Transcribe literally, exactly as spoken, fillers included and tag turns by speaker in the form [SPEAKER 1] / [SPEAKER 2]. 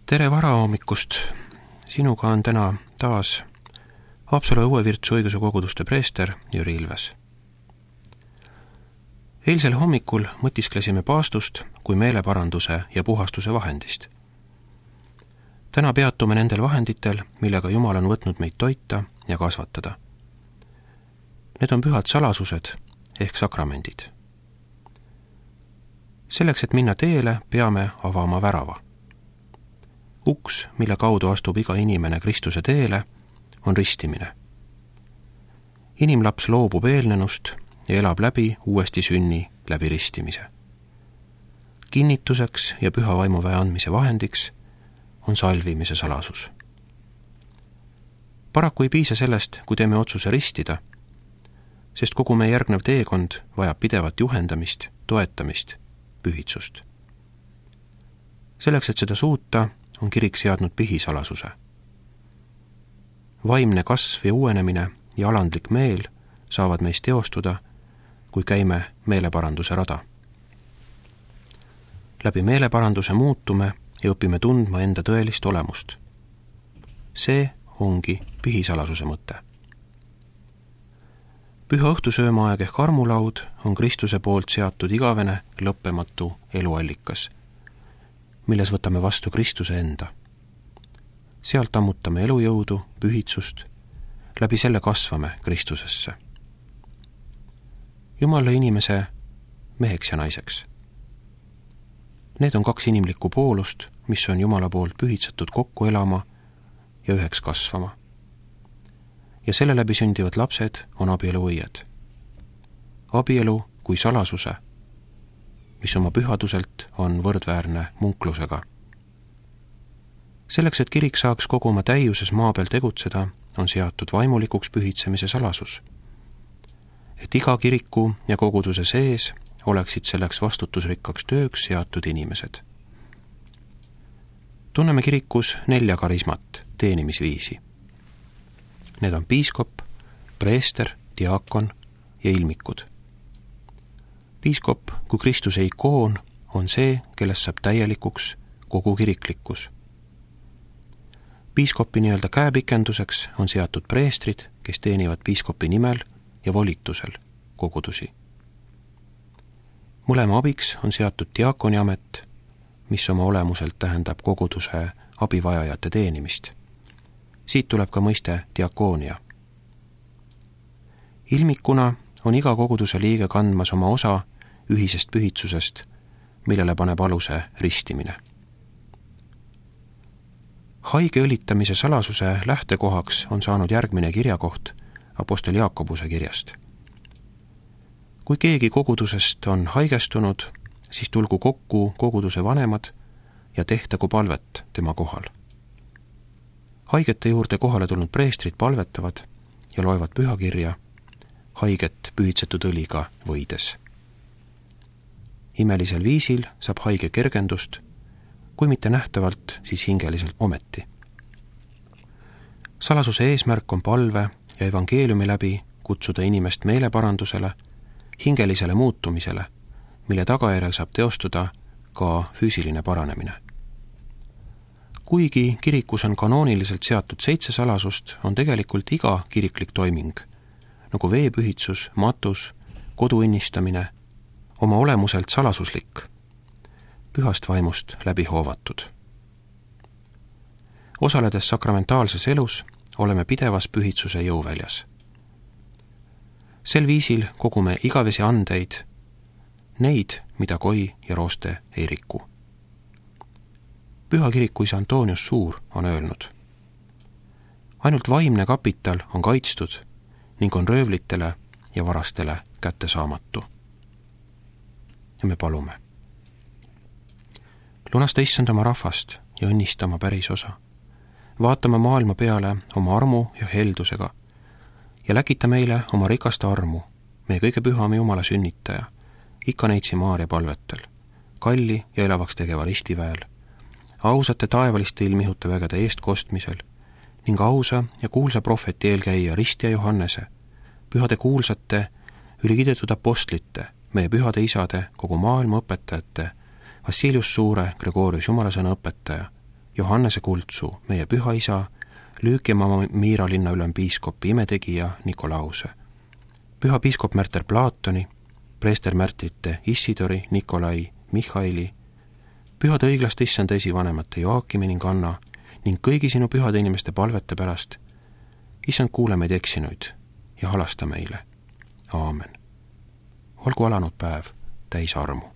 [SPEAKER 1] Tere varahommikust! Sinuga on täna taas Haapsalu Õuevirtsu õiguse koguduste preester Jüri Ilves. Eilsel hommikul mõtisklesime paastust kui meeleparanduse ja puhastuse vahendist. Täna peatume nendel vahenditel, millega Jumal on võtnud meid toita ja kasvatada. Need on pühad salasused ehk sakramendid. Selleks, et minna teele, peame avama värava. Uks, mille kaudu astub iga inimene Kristuse teele, on ristimine. Inimlaps loobub eelnenust ja elab läbi uuesti sünni läbi ristimise. Kinnituseks ja püha vaimuväe andmise vahendiks on salvimise salasus. Paraku ei piisa sellest, kui teeme otsuse ristida, sest kogu meie järgnev teekond vajab pidevat juhendamist, toetamist, pühitsust. Selleks, et seda suuta, on kirik seadnud pihisalasuse. Vaimne kasv ja uuenemine ja alandlik meel saavad meist teostuda, kui käime meeleparanduse rada. Läbi meeleparanduse muutume ja õpime tundma enda tõelist olemust. See ongi pihisalasuse mõte. Püha õhtusöömaaeg ehk armulaud on Kristuse poolt seatud igavene lõppematu eluallikas, milles võtame vastu Kristuse enda. Sealt ammutame elujõudu, pühitsust, läbi selle kasvame Kristusesse. Jumal lõi inimese meheks ja naiseks. Need on kaks inimlikku poolust, mis on Jumala poolt pühitsetud kokku elama ja üheks kasvama. Ja selle läbi sündivad lapsed on abielu õied. Abielu kui salasuse, mis oma pühaduselt on võrdväärne munklusega. Selleks, et kirik saaks kogu oma täiuses maa peal tegutseda, on seatud vaimulikuks pühitsemise salasus. Et iga kiriku ja koguduse sees oleksid selleks vastutusrikkaks tööks seatud inimesed. Tunneme kirikus nelja karismat, teenimisviisi. Need on piiskop, preester, diakon ja ilmikud. Piiskop kui Kristuse ikoon on see, kellest saab täielikuks kogu kiriklikkus. Piiskopi nii-öelda käepikenduseks on seatud preestrid, kes teenivad piiskopi nimel ja volitusel kogudusi. Mõlema abiks on seatud diakoni amet, mis oma olemuselt tähendab koguduse abivajajate teenimist. Siit tuleb ka mõiste diakoonia. Ilmikuna on iga koguduse liige kandmas oma osa ühisest pühitsusest, millele paneb aluse ristimine. Haige õlitamise salasuse lähtekohaks on saanud järgmine kirjakoht apostel Jaakobuse kirjast. Kui keegi kogudusest on haigestunud, siis tulgu kokku koguduse vanemad ja tehtagu palvet tema kohal. Haigete juurde kohale tulnud preestrid palvetavad ja loevad pühakirja haiget pühitsetud õliga võides. Imelisel viisil saab haige kergendust, kui mitte nähtavalt, siis hingeliselt ometi. Salasuse eesmärk on palve ja evangeeliumi läbi kutsuda inimest meeleparandusele, hingelisele muutumisele, mille tagajärjel saab teostuda ka füüsiline paranemine. Kuigi kirikus on kanooniliselt seatud seitse salasust, on tegelikult iga kiriklik toiming, nagu veepühitsus, matus, kodu innistamine, oma olemuselt salasuslik, pühast vaimust läbi hoovatud. Osaledes sakramentaalses elus oleme pidevas pühitsuse jõuväljas. Sel viisil kogume igavesi andeid, neid, mida koi ja rooste ei riku. Püha kiriku isa Antonius Suur on öelnud: ainult vaimne kapital on kaitstud ning on röövlitele ja varastele kättesaamatu. Ja me palume. Lunasta issand oma rahvast ja õnnista oma päris osa. Vaatame maailma peale oma armu ja heldusega ja läkita meile oma rikasta armu, meie kõige pühame Jumala sünnitaja, ikka neitsi Maaria palvetel, kalli ja elavaks tegeva ristiväel, ausate taevaliste ilmihute vägede eest kostmisel ning ausa ja kuulsa prohveti eelkäija Ristja Johannese, pühade kuulsate, ülikidetud apostlite, meie pühade isade, kogu maailma õpetajate, Vassilius Suure, Gregorius Jumalasõna õpetaja, Johannese Kultsu, meie püha isa, Lüükimaa Miira linna ülempiiskopi imetegija Nikolause, püha piiskop Märter Platoni, preester Märtrite Issidori, Nikolai, Mihhaili, pühade õiglaste issanda esivanemate Joakimi ning Anna ning kõigi sinu pühade inimeste palvete pärast. Issand, kuule meid eksinuid ja halasta meile. Aamen. Olgu alanud päev täis armu.